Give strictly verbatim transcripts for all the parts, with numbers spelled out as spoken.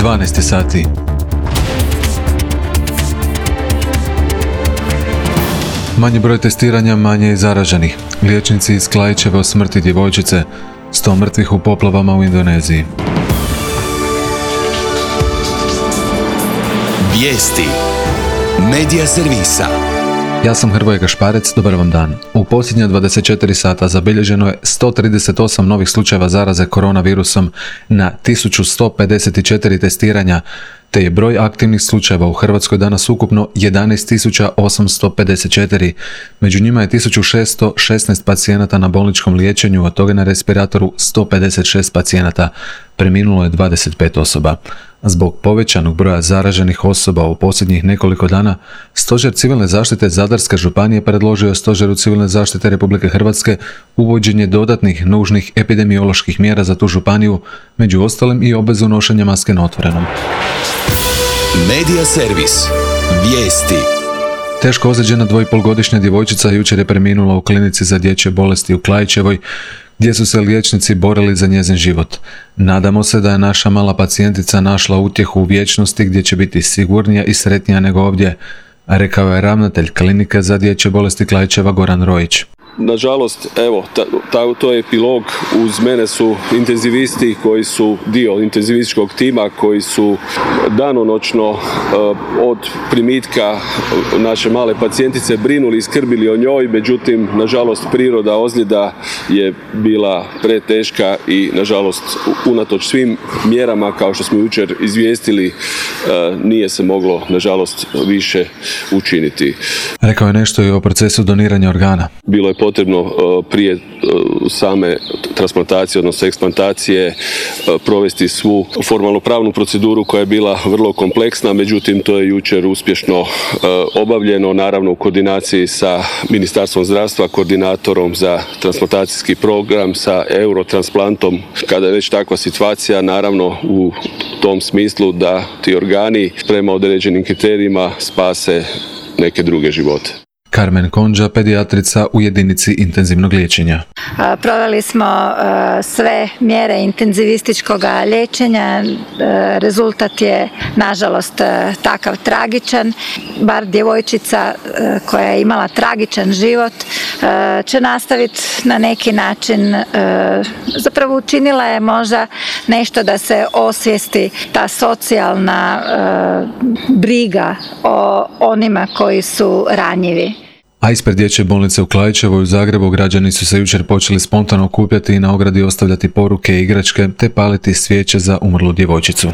dvanaest sati. Manji broj testiranja, manje je zaraženih. Liječnici iz Klaićeve o smrti djevojčice, sto mrtvih u poplavama u Indoneziji. Vijesti Medija servisa. Ja sam Hrvoje Gašparec, dobar vam dan. U posljednja dvadeset četiri sata zabilježeno je sto trideset osam novih slučajeva zaraze koronavirusom na tisuću sto pedeset četiri testiranja, te je broj aktivnih slučajeva u Hrvatskoj danas ukupno jedanaest tisuća osamsto pedeset četiri. Među njima je tisuću šesto šesnaest pacijenata na bolničkom liječenju, od toga na respiratoru sto pedeset šest pacijenata. Preminulo je dvadeset pet osoba. Zbog povećanog broja zaraženih osoba u posljednjih nekoliko dana, Stožer civilne zaštite Zadarske županije predložio je Stožeru civilne zaštite Republike Hrvatske uvođenje dodatnih nužnih epidemioloških mjera za tu županiju, među ostalim i obvezu nošenja maske na otvorenom. Medija servis. Vijesti. Teško ozlijeđena dvoipolgodišnja djevojčica jučer je preminula u klinici za dječje bolesti u Klaićevoj, gdje su se liječnici borili za njezin život. Nadamo se da je naša mala pacijentica našla utjehu u vječnosti gdje će biti sigurnija i sretnija nego ovdje, rekao je ravnatelj klinike za dječje bolesti Klaićeva Goran Rojić. Nažalost, evo, ta, ta, to je epilog. Uz mene su intenzivisti koji su dio intenzivističkog tima, koji su danonoćno uh, od primitka naše male pacijentice brinuli i skrbili o njoj, međutim, nažalost, priroda ozljeda je bila preteška i, nažalost, unatoč svim mjerama, kao što smo jučer izvijestili, uh, nije se moglo, nažalost, više učiniti. Rekao je nešto i o procesu doniranja organa. Bilo je potrebno prije same transplantacije, odnosno eksplantacije, provesti svu formalno pravnu proceduru koja je bila vrlo kompleksna, međutim to je jučer uspješno obavljeno, naravno u koordinaciji sa Ministarstvom zdravstva, koordinatorom za transplantacijski program, sa Eurotransplantom. Kada je već takva situacija, naravno u tom smislu da ti organi prema određenim kriterijima spase neke druge živote. Carmen Konđa, pedijatrica u jedinici intenzivnog liječenja. Proveli smo sve mjere intenzivističkog liječenja. Rezultat je, nažalost, takav tragičan. Bar djevojčica koja je imala tragičan život će nastaviti na neki način, zapravo učinila je možda nešto da se osvijesti ta socijalna briga o onima koji su ranjivi. A ispred dječje bolnice u Klaićevoj u Zagrebu građani su se jučer počeli spontano okupljati i na ogradi ostavljati poruke i igračke te paliti svijeće za umrlu djevojčicu.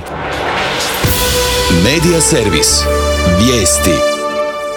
Medija servis. Vijesti.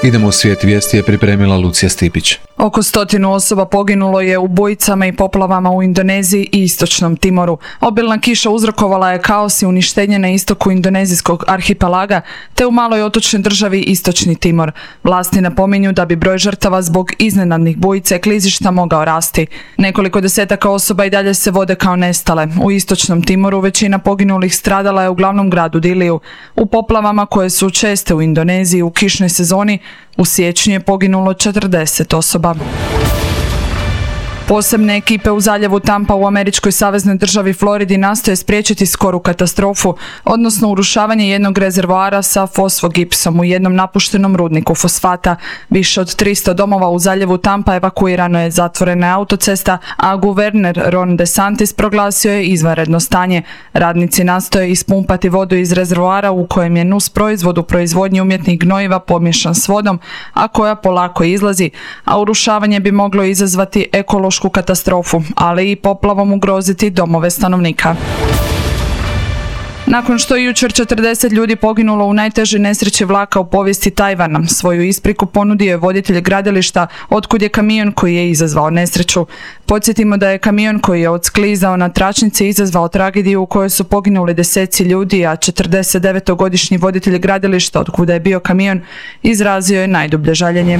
Idemo u svijet. Vijesti je pripremila Lucija Stipić. Oko stotinu osoba poginulo je u bujicama i poplavama u Indoneziji i Istočnom Timoru. Obilna kiša uzrokovala je kaos i uništenje na istoku indonezijskog arhipelaga te u maloj otočnoj državi Istočni Timor. Vlasti napominju da bi broj žrtava zbog iznenadnih bujica i klizišta mogao rasti. Nekoliko desetaka osoba i dalje se vode kao nestale. U Istočnom Timoru većina poginulih stradala je u glavnom gradu Diliju. U poplavama koje su česte u Indoneziji u kišnoj sezoni u siječnju je poginulo četrdeset osoba. Posebne ekipe u zaljevu Tampa u američkoj saveznoj državi Floridi nastoje spriječiti skoru katastrofu, odnosno urušavanje jednog rezervoara sa fosfogipsom u jednom napuštenom rudniku fosfata. Više od tristo domova u zaljevu Tampa evakuirano je, zatvorena je autocesta, a guverner Ron DeSantis proglasio je izvanredno stanje. Radnici nastoje ispumpati vodu iz rezervoara u kojem je nus proizvod u proizvodnji umjetnih gnojiva pomiješan s vodom, a koja polako izlazi, a urušavanje bi moglo izazvati ekološku katastrofu, ali i poplavom ugroziti domove stanovnika. Nakon što je jučer četrdeset ljudi poginulo u najtežoj nesreći vlaka u povijesti Tajvana, svoju ispriku ponudio je voditelj gradilišta otkud je kamion koji je izazvao nesreću. Podsjetimo da je kamion koji je odsklizao na tračnici izazvao tragediju u kojoj su poginuli deseci ljudi, a četrdesetdevetogodišnji voditelj gradilišta otkuda je bio kamion izrazio je najdublje žaljenje.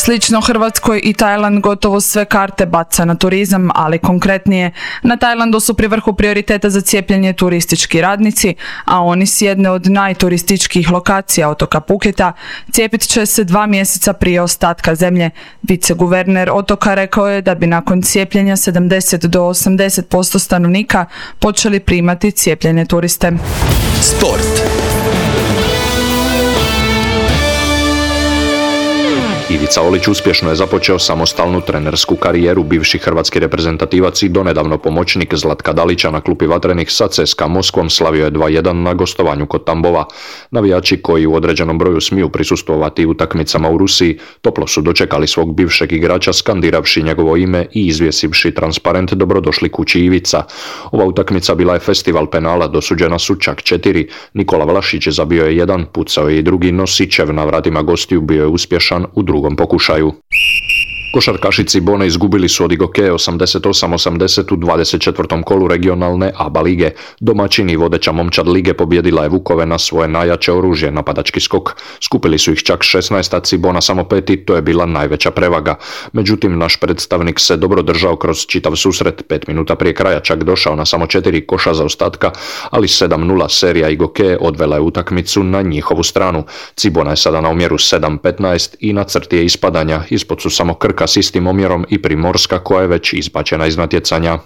Slično Hrvatskoj i Tajland gotovo sve karte baca na turizam, ali konkretnije, na Tajlandu su pri vrhu prioriteta za cijepljenje turistički radnici, a oni s jedne od najturističkijih lokacija otoka Phuketa cijepit će se dva mjeseca prije ostatka zemlje. Viceguverner otoka rekao je da bi nakon cijepljenja sedamdeset do osamdeset posto stanovnika počeli primati cijepljene turiste. Sport. Ivica Olić uspješno je započeo samostalnu trenersku karijeru. Bivši hrvatski reprezentativac i donedavno pomoćnik Zlatka Dalića na klupi Vatrenih sa C S K A Moskvom slavio je dva jedan na gostovanju kod Tambova. Navijači koji u određenom broju smiju prisustvovati utakmicama u Rusiji toplo su dočekali svog bivšeg igrača skandiravši njegovo ime i izvjesivši transparent "Dobrodošli kući Ivica". Ova utakmica bila je festival penala, dosuđena su čak četiri. Nikola Vlašić zabio je jedan, pucao je i drugi, no Sičev na vratima gostiju bio je uspješan u drugom pokušaju. Košarkašici Bone izgubili su od Igoke osamdeset osam osamdeset u dvadeset četvrtom kolu regionalne A B A lige. Domaćini vodeća momčad lige pobijedila je Vukove na svoje najjače oružje, napadački skok. Skupili su ih čak šesnaest, a Cibona samo pet i to je bila najveća prevaga. Međutim, naš predstavnik se dobro držao kroz čitav susret, pet minuta prije kraja čak došao na samo četiri koša zaostatka, ali sedam nula serija Igoke odvela je utakmicu na njihovu stranu. Cibona je sada na omjeru sedam petnaest i na crti je ispadanja, ispod su samo Krka s istim omjerom i Primorska koja je već izbačena iz natjecanja.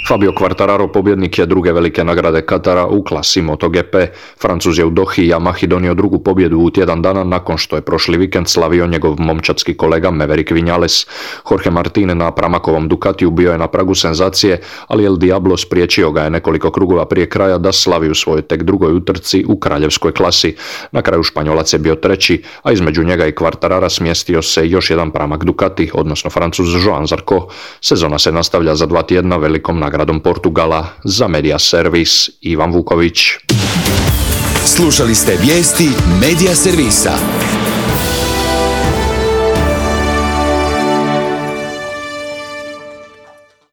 Fabio Quartararo pobjednik je druge velike nagrade Katara u klasi MotoGP. Francuz je u Dohi i Yamahi donio drugu pobjedu u tjedan dana nakon što je prošli vikend slavio njegov momčadski kolega Maverick Vinales. Jorge Martin na pramakovom Ducatiju bio je na pragu senzacije, ali El Diablo spriječio ga je nekoliko krugova prije kraja da slavi u svojoj tek drugoj utrci u kraljevskoj klasi. Na kraju Španjolac je bio treći, a između njega i Quartarara smjestio se još jedan pramak Ducati, odnosno Francuz Joan Zarco. Sezona se nastavlja za dva tjedna velikom nagradom gradom Portugala. Za Media Servis Ivan Vuković. Slušali ste vijesti Media Servisa.